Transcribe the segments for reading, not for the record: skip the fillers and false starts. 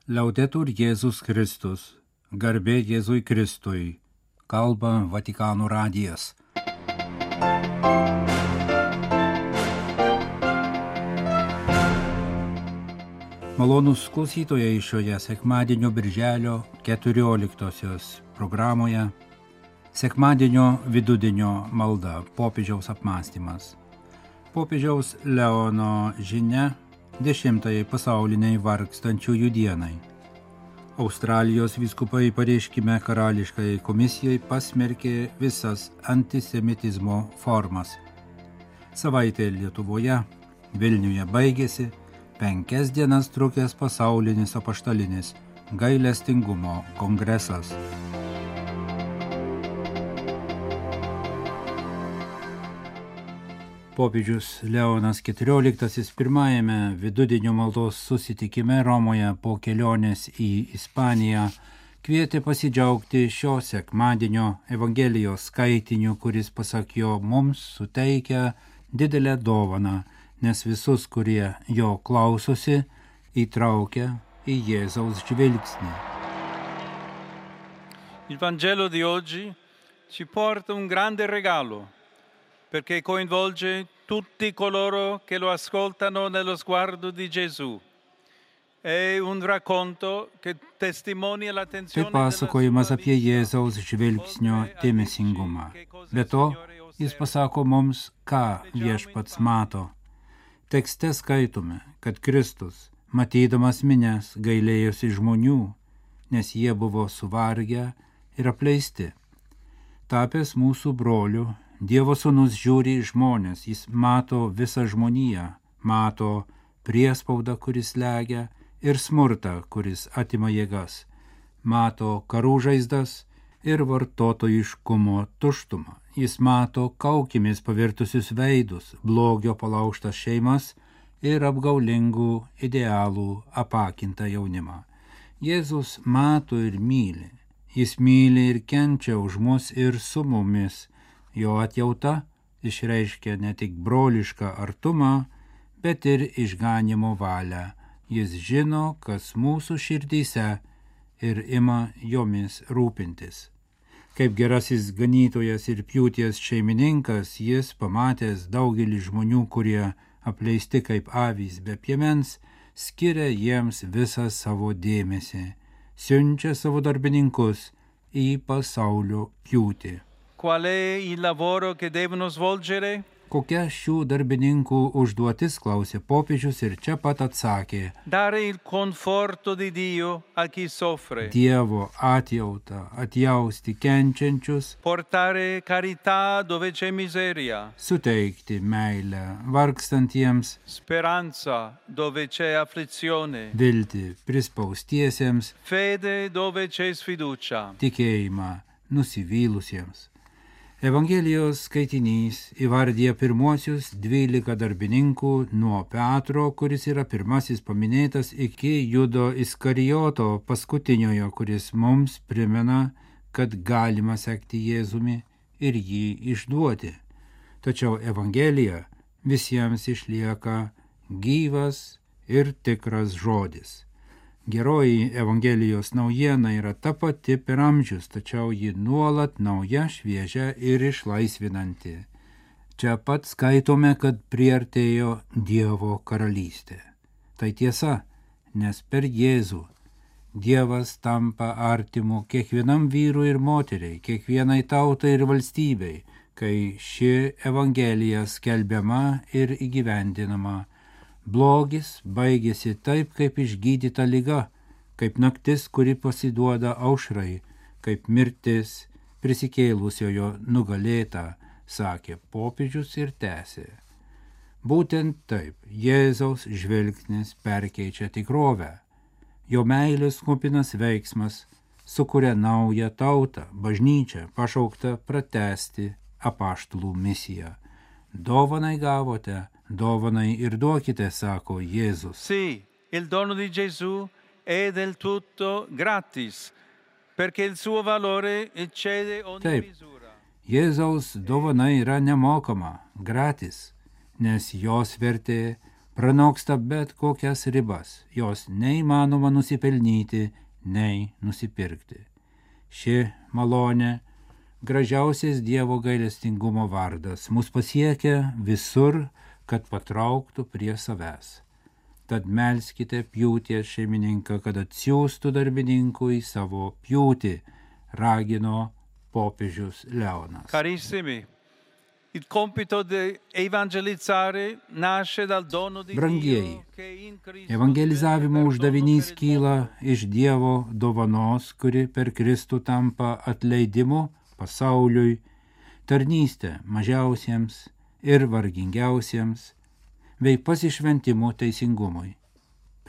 Laudetur Jėzus Kristus, garbė Jėzui Kristui, kalba Vatikano radijas. Malonūs klausytojai šioje sekmadienio birželio 14-osios programoje sekmadienio vidudienio malda popiežiaus apmąstymas. Popiežiaus Leono žinia 10-ajai pasauliniai vargstančiųjų dienai. Australijos vyskupai pareiškime karališkai komisijai pasmerkė visas antisemitizmo formas. Savaitė Lietuvoje, Vilniuje baigėsi 5 dienas trukęs pasaulinis apaštalinis gailestingumo kongresas. Popiežius Leonas XIV pirmajame vidudienio maldos susitikime Romoje po kelionės į Ispaniją kvietė pasidžiaugti šio sekmadienio Evangelijos skaitiniu, kuris pasak jo mums suteikia didelę dovaną, nes visus, kurie jo klausosi, įtraukia į Jėzaus žvilgsnį. Il Vangelo di oggi ci porta un grande regalo, perché coinvolge tutti coloro che lo ascoltano nello sguardo di Gesù. È un racconto che testimonia l'attenzione Tai pasakojimas apie Jėzaus žvilgsnio dėmesingumą. Be to, jis pasako mums, ką viešpats mato. Tekste skaitome, kad Kristus, matydamas minias, gailėjosi žmonių, nes jie buvo suvargę ir apleisti. Tapęs mūsų broliu, Dievo sūnus žiūri į žmonės, jis mato visą žmoniją, mato priespaudą, kuris slegia, ir smurtą, kuris atima jėgas, mato karų žaizdas ir vartotojiškumo tuštumą. Jis mato kaukimis pavirtusius veidus, blogio palaužtas šeimas ir apgaulingų idealų apakintą jaunimą. Jėzus mato ir myli. Jis myli ir kenčia už mus ir su mumis. Jo atjauta išreiškia ne tik brolišką artumą, bet ir išganimo valią. Jis žino, kas mūsų širdyse ir ima jomis rūpintis. Kaip gerasis ganytojas ir pjūties šeimininkas, jis pamatęs daugelį žmonių, kurie apleisti kaip avys be piemens, skiria jiems visą savo dėmesį, siunčia savo darbininkus į pasaulio pjūtį. Qual è il lavoro che devono svolgere? Kokia šių darbininkų užduotis, klausė popiežius ir čia pat atsakė. Dare il conforto di Dio a chi soffre. Dievo atjautą atjausti kenčiančius. Portare carità dove c'è miseria. Suteikti meilę vargstantiems. Speranza dove c'è afflizione. Viltį prispaustiesiems. Fede dove c'è sfiducia. Tikėjimą nusivylusiems. Evangelijos skaitinys įvardyja pirmuosius 12 darbininkų nuo Petro, kuris yra pirmasis paminėtas, iki Judo Iskarijoto paskutiniojo, kuris mums primena, kad galima sekti Jėzumi ir jį išduoti. Tačiau Evangelija visiems išlieka gyvas ir tikras žodis. Geroji Evangelijos naujiena yra ta pati per amžius, tačiau ji nuolat nauja, šviežia ir išlaisvinanti. Čia pat skaitome, kad priartėjo Dievo karalystė. Tai tiesa, nes per Jėzų Dievas tampa artimu kiekvienam vyrui ir moteriai, kiekvienai tautai ir valstybei, kai ši Evangelija skelbiama ir įgyvendinama. Blogis baigėsi taip, kaip išgydyta liga, kaip naktis, kuri pasiduoda aušrai, kaip mirtis prisikėlusiojo nugalėta, sakė popiežius ir tęsė. Būtent taip Jėzaus žvilgsnis perkeičia tikrovę. Jo meilės kupinas veiksmas sukuria naują tautą, bažnyčią, pašauktą pratęsti apaštalų misiją. Dovanai gavote, dovanai ir duokite, sako Jėzus. Sì, il dono di Gesù è del tutto gratis, perché il suo valore eccede ogni misura. Jėzaus dovana yra nemokama, gratis, nes jos vertė pranoksta bet kokias ribas, jos neįmanoma nusipelnyti, nei nusipirkti. Ši malonė, gražiausias Dievo gailestingumo vardas, mus pasiekia visur, kad patrauktų prie savęs. Tad melskite pjūties šeimininką, kad atsiųstų darbininkui savo pjūtį, ragino popiežius Leonas. Carissimi, il compito di evangelizzare nasce dal dono di Brangieji, Dio che in Cristo evangelizavimo diventa uždavinys perdono per il kyla iš Dievo dovanos, kuri per Kristų tampa atleidimu pasauliui, tarnystė mažiausiems ir vargingiausiems, bei pasišventimu teisingumui,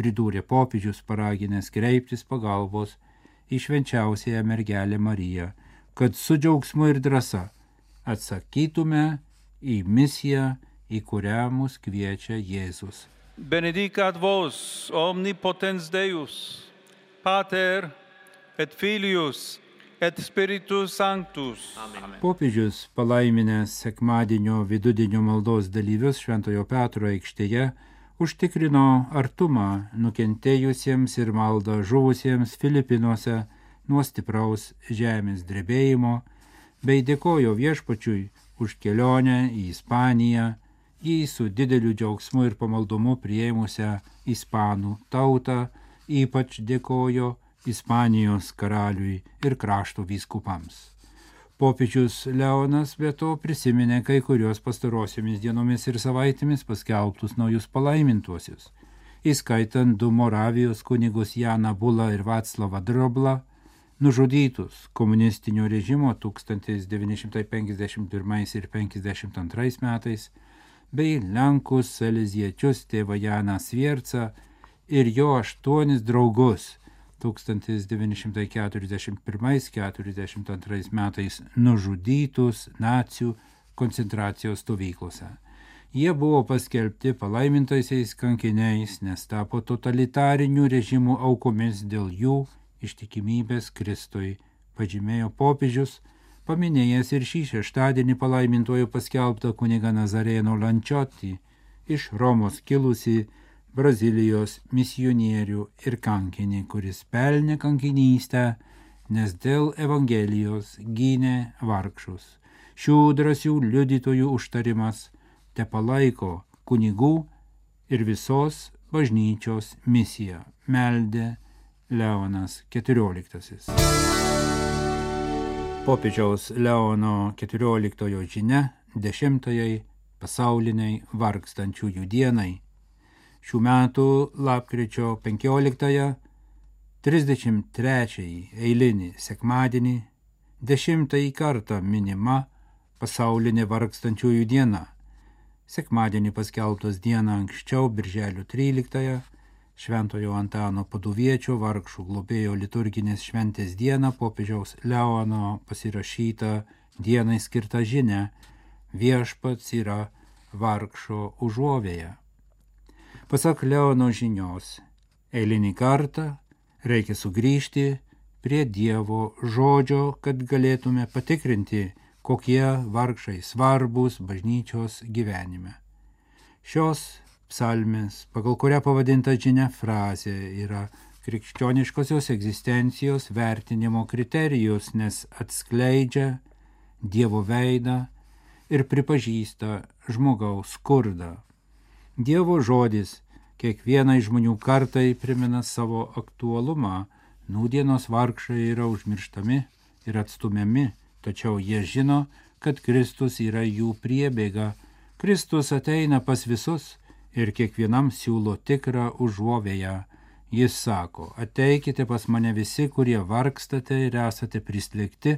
pridūrė popiežius paraginęs kreiptis pagalbos į švenčiausiąją mergelę Mariją, kad su džiaugsmu ir drąsa atsakytume į misiją, į kurią mus kviečia Jėzus. Benedicat vos omnipotens Deus, Pater et Filius et Spiritus Sanctus. Amen. Popiežius, palaiminęs sekmadienio vidudienio maldos dalyvius Šventojo Petro aikštėje, užtikrino artumą nukentėjusiems ir maldą žuvusiems Filipinuose nuo stipraus žemės drebėjimo, bei dėkojo Viešpačiui už kelionę į Ispaniją, jį su dideliu džiaugsmu ir pamaldumu priėmusią ispanų tautą, ypač dėkojo Ispanijos karaliui ir krašto vyskupams. Popiežius Leonas be to prisiminė kai kurios pastarosiomis dienomis ir savaitėmis paskelbtus naujus palaimintuosius, įskaitant 2 Moravijos kunigus Janą Bulą ir Vaclavą Droblą, nužudytus komunistinio režimo 1951 ir 1952 metais, bei Lenkus saleziečius tėvą Janą Sviercą ir jo 8 draugus 1941-1942 metais nužudytus nacių koncentracijos stovyklose. Jie buvo paskelbti palaimintaisiais kankiniais, nes tapo totalitarinių režimų aukomis dėl jų ištikimybės Kristui, pažymėjo popiežius, paminėjęs ir šį šeštadienį palaimintuoju paskelbtą kunigą Nazareno Lančiotį, iš Romos kilusi Brazilijos misionierių ir kankinį, kuris pelnė kankinystę, nes dėl Evangelijos gynė vargšus. Šių drąsių liudytojų užtarimas te palaiko kunigų ir visos bažnyčios misiją, meldė Leonas XIV. Popiežiaus Leono XIV žinia 10-ajai pasauliniai vargstančiųjų dienai. Šių metų lapkričio 15-ąją, 33-ąjį eilinį sekmadienį, 10-ąjį kartą minima pasaulinė vargstančiųjų diena. Sekmadienį paskelbtos dieną anksčiau, birželio 13-ąją, Šventojo Antano Paduviečio vargšų globėjo liturginės šventės dieną popiežiaus Leono pasirašyta dienai skirta žinia Viešpats yra vargšo užuovėja. Pasak Leono žinios, eilinį kartą reikia sugrįžti prie Dievo žodžio, kad galėtume patikrinti, kokie vargšai svarbus bažnyčios gyvenime. Šios psalmės, pagal kurią pavadinta žinia frazė, yra krikščioniškosios egzistencijos vertinimo kriterijus, nes atskleidžia Dievo veidą ir pripažįsta žmogaus skurdą. Dievo žodis kiekvienai žmonių kartai primena savo aktualumą. Nūdienos vargšai yra užmirštami ir atstumiami, tačiau jie žino, kad Kristus yra jų priebėga. Kristus ateina pas visus ir kiekvienam siūlo tikrą užuovėją. Jis sako, ateikite pas mane visi, kurie vargstate ir esate prislėgti,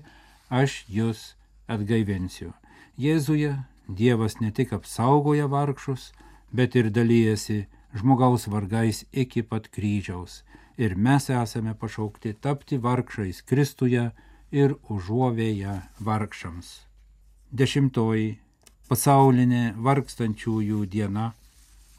aš jūs atgaivinsiu. Jėzuje Dievas ne tik apsaugoja vargšus, bet ir dalyjasi žmogaus vargais iki pat kryžiaus. Ir mes esame pašaukti tapti vargšais Kristuje ir užuovėja vargšams. 10-oji pasaulinė vargstančiųjų diena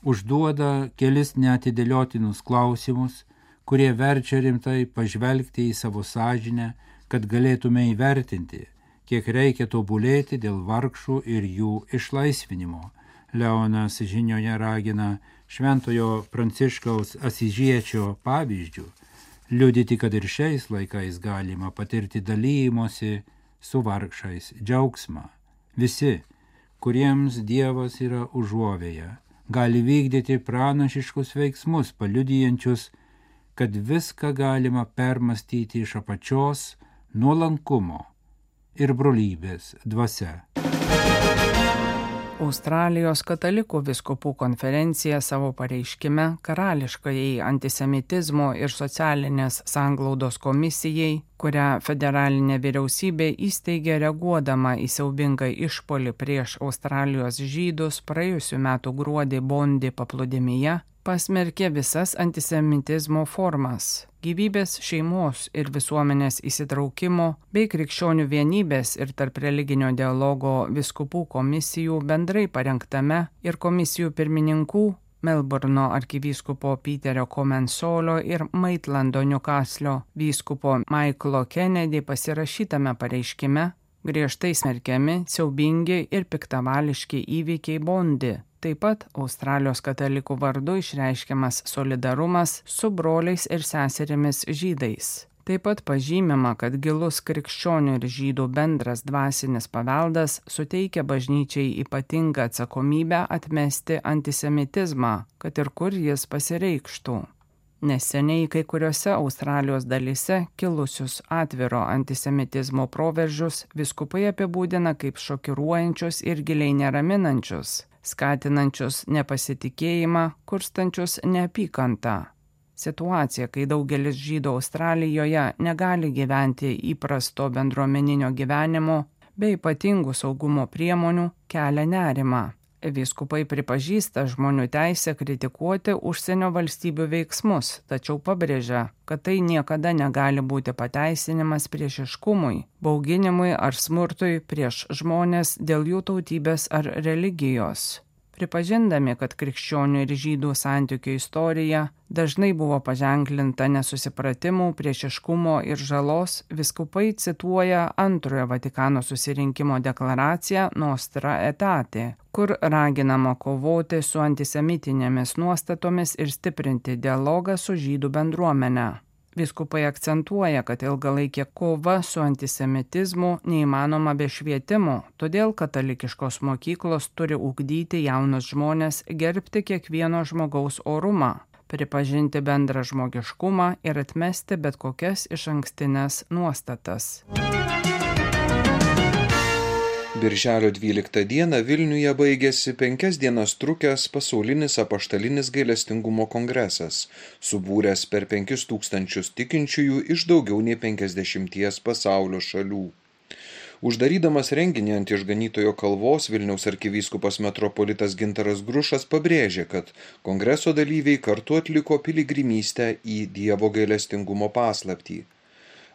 užduoda kelis neatidėliotinus klausimus, kurie verčia rimtai pažvelgti į savo sąžinę, kad galėtume įvertinti, kiek reikia tobulėti dėl vargšų ir jų išlaisvinimo. Leonas žinioje ragina Šventojo Pranciškaus Asyžiečio pavyzdžių, liudyti, kad ir šiais laikais galima patirti dalymosi su vargšais džiaugsmą. Visi, kuriems Dievas yra užuovėja, gali vykdyti pranašiškus veiksmus, paliudijančius, kad viską galima permastyti iš apačios nuolankumo ir brolybės dvasia. Australijos katalikų vyskupų konferencija savo pareiškime Karališkajai antisemitizmo ir socialinės sanglaudos komisijai, kurią federalinė vyriausybė įsteigė reaguodama į siaubingą išpuolį prieš Australijos žydus praėjusių metų gruodį Bondi paplūdimyje, pasmerkė visas antisemitizmo formas. Gyvybės, šeimos ir visuomenės įsitraukimo bei krikščionių vienybės ir tarp religinio dialogo vyskupų komisijų bendrai parengtame ir komisijų pirmininkų Melburno arkivyskupo Peterio Comensolio ir Maitlando Newcastlio vyskupo Michaelo Kennedy pasirašytame pareiškime griežtai smerkiami siaubingi ir piktavališki įvykiai Bondi. Taip pat Australijos katalikų vardu išreiškiamas solidarumas su broliais ir seserimis žydais. Taip pat pažymima, kad gilus krikščionių ir žydų bendras dvasinis paveldas suteikia bažnyčiai ypatingą atsakomybę atmesti antisemitizmą, kad ir kur jis pasireikštų. Neseniai kai kuriuose Australijos dalyse kilusius atviro antisemitizmo proveržius vyskupai apibūdina kaip šokiruojančius ir giliai neraminančius, skatinančius nepasitikėjimą, kurstančius neapykantą. Situacija, kai daugelis žydų Australijoje negali gyventi įprasto bendruomeninio gyvenimo bei ypatingų saugumo priemonių, kelia nerimą. Vyskupai pripažįsta žmonių teisę kritikuoti užsienio valstybių veiksmus, tačiau pabrėžia, kad tai niekada negali būti pateisinimas priešiškumui, bauginimui ar smurtui prieš žmones dėl jų tautybės ar religijos. Pripažindami, kad krikščionių ir žydų santykių istorija dažnai buvo paženklinta nesusipratimų, priešiškumo ir žalos, vyskupai cituoja Antrojo Vatikano susirinkimo deklaraciją Nostra Aetate, kur raginama kovoti su antisemitinėmis nuostatomis ir stiprinti dialogą su žydų bendruomene. Vyskupai akcentuoja, kad ilgalaikė kova su antisemitizmu neįmanoma be švietimo, todėl katalikiškos mokyklos turi ugdyti jaunus žmones gerbti kiekvieno žmogaus orumą, pripažinti bendrą žmogiškumą ir atmesti bet kokias išankstinės nuostatas. Birželio 12 dieną Vilniuje baigėsi 5 dienas trukęs pasaulinis apaštalinis gailestingumo kongresas, subūręs per 5000 tikinčiųjų iš daugiau nei 50 pasaulio šalių. Uždarydamas renginį ant Išganytojo kalvos, Vilniaus arkivyskupas metropolitas Gintaras Grušas pabrėžė, kad kongreso dalyviai kartu atliko piligrimystę į Dievo gailestingumo paslaptį.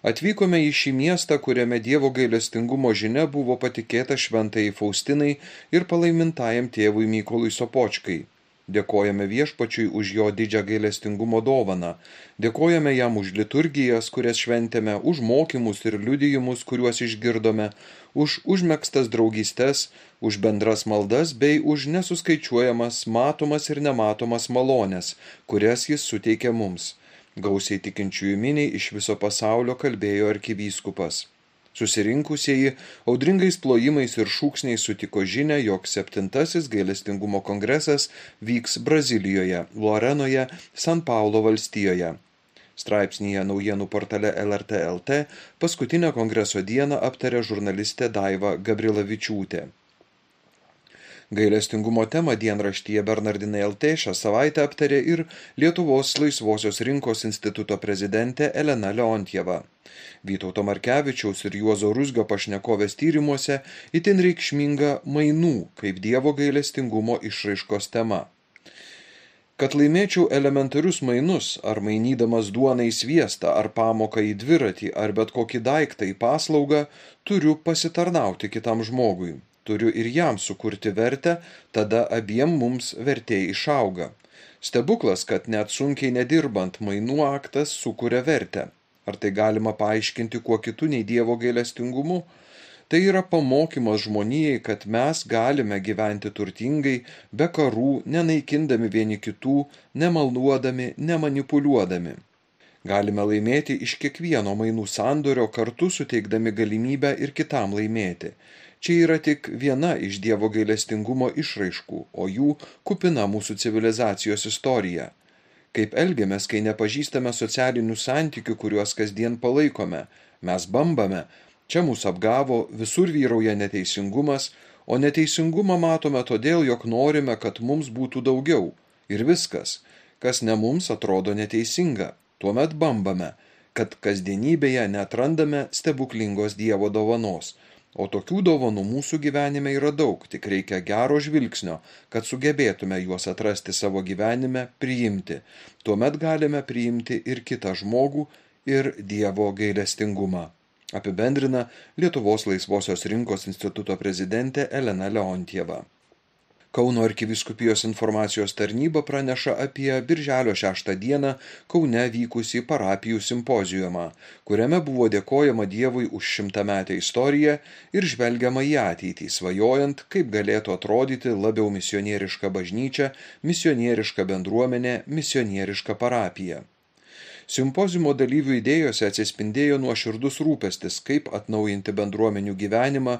Atvykome į šį miestą, kuriame Dievo gailestingumo žinia buvo patikėta šventajai Faustinai ir palaimintajam tėvui Mykolui Sopočkai. Dėkojame Viešpačiui už jo didžią gailestingumo dovaną. Dėkojame jam už liturgijas, kurias šventėme, už mokymus ir liudijimus, kuriuos išgirdome, už užmegztas draugystes, už bendras maldas bei už nesuskaičiuojamas matomas ir nematomas malones, kurias jis suteikė mums. Gausiai tikinčiųjų miniai iš viso pasaulio kalbėjo arkivyskupas. Susirinkusieji audringais plojimais ir šūksniais sutiko žinią, jog 7. gailestingumo kongresas vyks Brazilijoje, Lorenoje, San Paulo valstijoje. Straipsnyje naujienų portale LRT LT paskutinę kongreso dieną aptarė žurnalistė Daiva Gabrilavičiūtė. Gailestingumo temą dienraštyje Bernardinai LT šią savaitę aptarė ir Lietuvos laisvosios rinkos instituto prezidentė Elena Leontjeva. Vytauto Markevičiaus ir Juozo Ruzgio pašnekovės tyrimuose itin reikšminga mainų kaip Dievo gailestingumo išraiškos tema. Kad laimėčiau elementarius mainus, ar mainydamas duoną į sviestą, ar pamoką į dviratį, ar bet kokį daiktą į paslaugą, turiu pasitarnauti kitam žmogui. Turiu ir jam sukurti vertę, tada abiem mums vertė išauga. Stebuklas, kad net sunkiai nedirbant mainų aktas sukuria vertę. Ar tai galima paaiškinti kuo kitu nei Dievo gailestingumu? Tai yra pamokymas žmonijai, kad mes galime gyventi turtingai, be karų, nenaikindami vieni kitų, nemalnuodami, nemanipuliuodami. Galime laimėti iš kiekvieno mainų sandorio, kartu suteikdami galimybę ir kitam laimėti. Čia yra tik viena iš Dievo gailestingumo išraiškų, o jų kupina mūsų civilizacijos istorija. Kaip elgiamės, kai nepažįstame socialinių santykių, kuriuos kasdien palaikome. Mes bambame, čia mūsų apgavo, visur vyrauja neteisingumas, o neteisingumą matome todėl, jog norime, kad mums būtų daugiau. Ir viskas, kas ne mums atrodo neteisinga. Tuomet bambame, kad kasdienybėje neatrandame stebuklingos Dievo dovanos. O tokių dovanų mūsų gyvenime yra daug, tik reikia gero žvilgsnio, kad sugebėtume juos atrasti savo gyvenime, priimti. Tuomet galime priimti ir kitą žmogų, ir Dievo gailestingumą. Apibendrina Lietuvos laisvosios rinkos instituto prezidentė Elena Leontieva. Kauno arkivyskupijos informacijos tarnyba praneša apie birželio 6 dieną Kaune vykusį parapijų simpoziumą, kuriame buvo dėkojama Dievui už 100-metę istoriją ir žvelgiama į ateitį, svajojant, kaip galėtų atrodyti labiau misionieriška bažnyčia, misionieriška bendruomenė, misionieriška parapija. Simpoziumo dalyvių idėjose atsispindėjo nuoširdus rūpestis, kaip atnaujinti bendruomenių gyvenimą,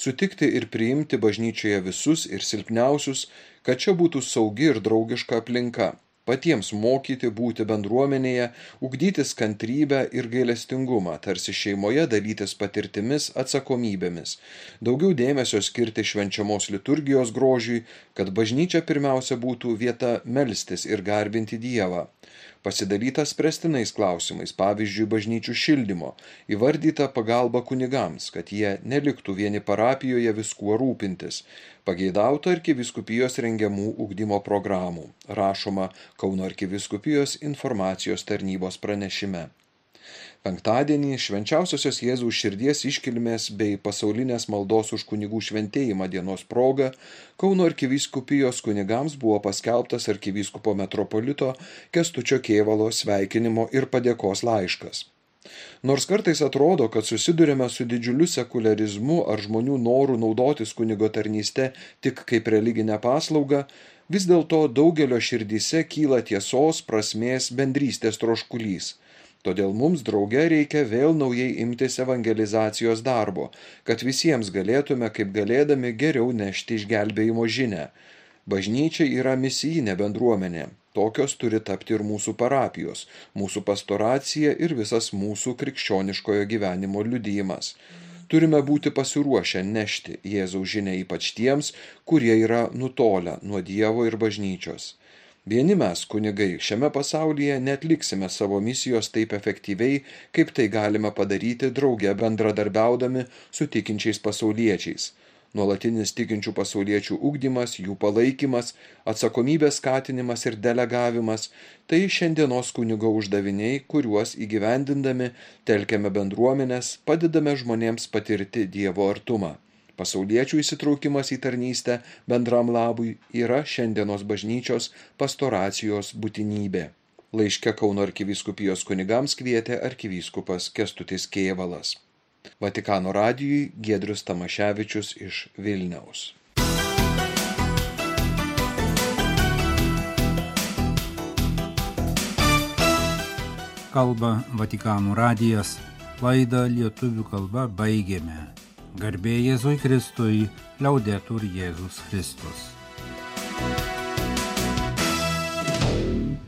sutikti ir priimti bažnyčioje visus ir silpniausius, kad čia būtų saugi ir draugiška aplinka, patiems mokyti būti bendruomenėje, ugdytis kantrybę ir gailestingumą, tarsi šeimoje dalytis patirtimis, atsakomybėmis, daugiau dėmesio skirti švenčiamos liturgijos grožiui, kad bažnyčia pirmiausia būtų vieta melstis ir garbinti Dievą. Pasidalyta spręstinais klausimais, pavyzdžiui, bažnyčių šildymo, įvardyta pagalba kunigams, kad jie neliktų vieni parapijoje viskuo rūpintis, pageidauta arkivyskupijos rengiamų ugdymo programų, rašoma Kauno arkivyskupijos informacijos tarnybos pranešime. Penktadienį Švenčiausiosios Jėzaus širdies iškilmės bei pasaulinės maldos už kunigų šventėjimą dienos proga Kauno arkivyskupijos kunigams buvo paskelbtas arkivyskupo metropolito Kęstučio Kėvalo sveikinimo ir padėkos laiškas. Nors kartais atrodo, kad susidurime su didžiuliu sekuliarizmu ar žmonių noru naudotis kunigo tarnyste tik kaip religinę paslaugą, vis dėlto daugelio širdyse kyla tiesos, prasmės, bendrystės troškulys. Todėl mums drauge reikia vėl naujai imtis evangelizacijos darbo, kad visiems galėtume kaip galėdami geriau nešti išgelbėjimo žinią. Bažnyčia yra misijinė bendruomenė. Tokios turi tapti ir mūsų parapijos, mūsų pastoracija ir visas mūsų krikščioniškojo gyvenimo liudijimas. Turime būti pasiruošę nešti Jėzaus žinią ypač tiems, kurie yra nutolę nuo Dievo ir bažnyčios. Vieni mes, kunigai, šiame pasaulyje neatliksime savo misijos taip efektyviai, kaip tai galime padaryti drauge bendradarbiaudami su tikinčiais pasauliečiais. Nuolatinis tikinčių pasauliečių ugdymas, jų palaikymas, atsakomybės skatinimas ir delegavimas – tai šiandienos kunigo uždaviniai, kuriuos įgyvendindami telkiame bendruomenės, padedame žmonėms patirti Dievo artumą. Pasauliečių įsitraukimas į tarnystę bendram labui yra šiandienos bažnyčios pastoracijos būtinybė. Laiške Kauno arkivyskupijos kunigams kvietė arkivyskupas Kęstutis Kėvalas. Vatikano radijui Giedrius Tamaševičius iš Vilniaus. Kalba Vatikano radijas, laidą lietuvių kalba baigėme. Garbė Jėzui Kristui, Liaudetur Jėzus Kristus.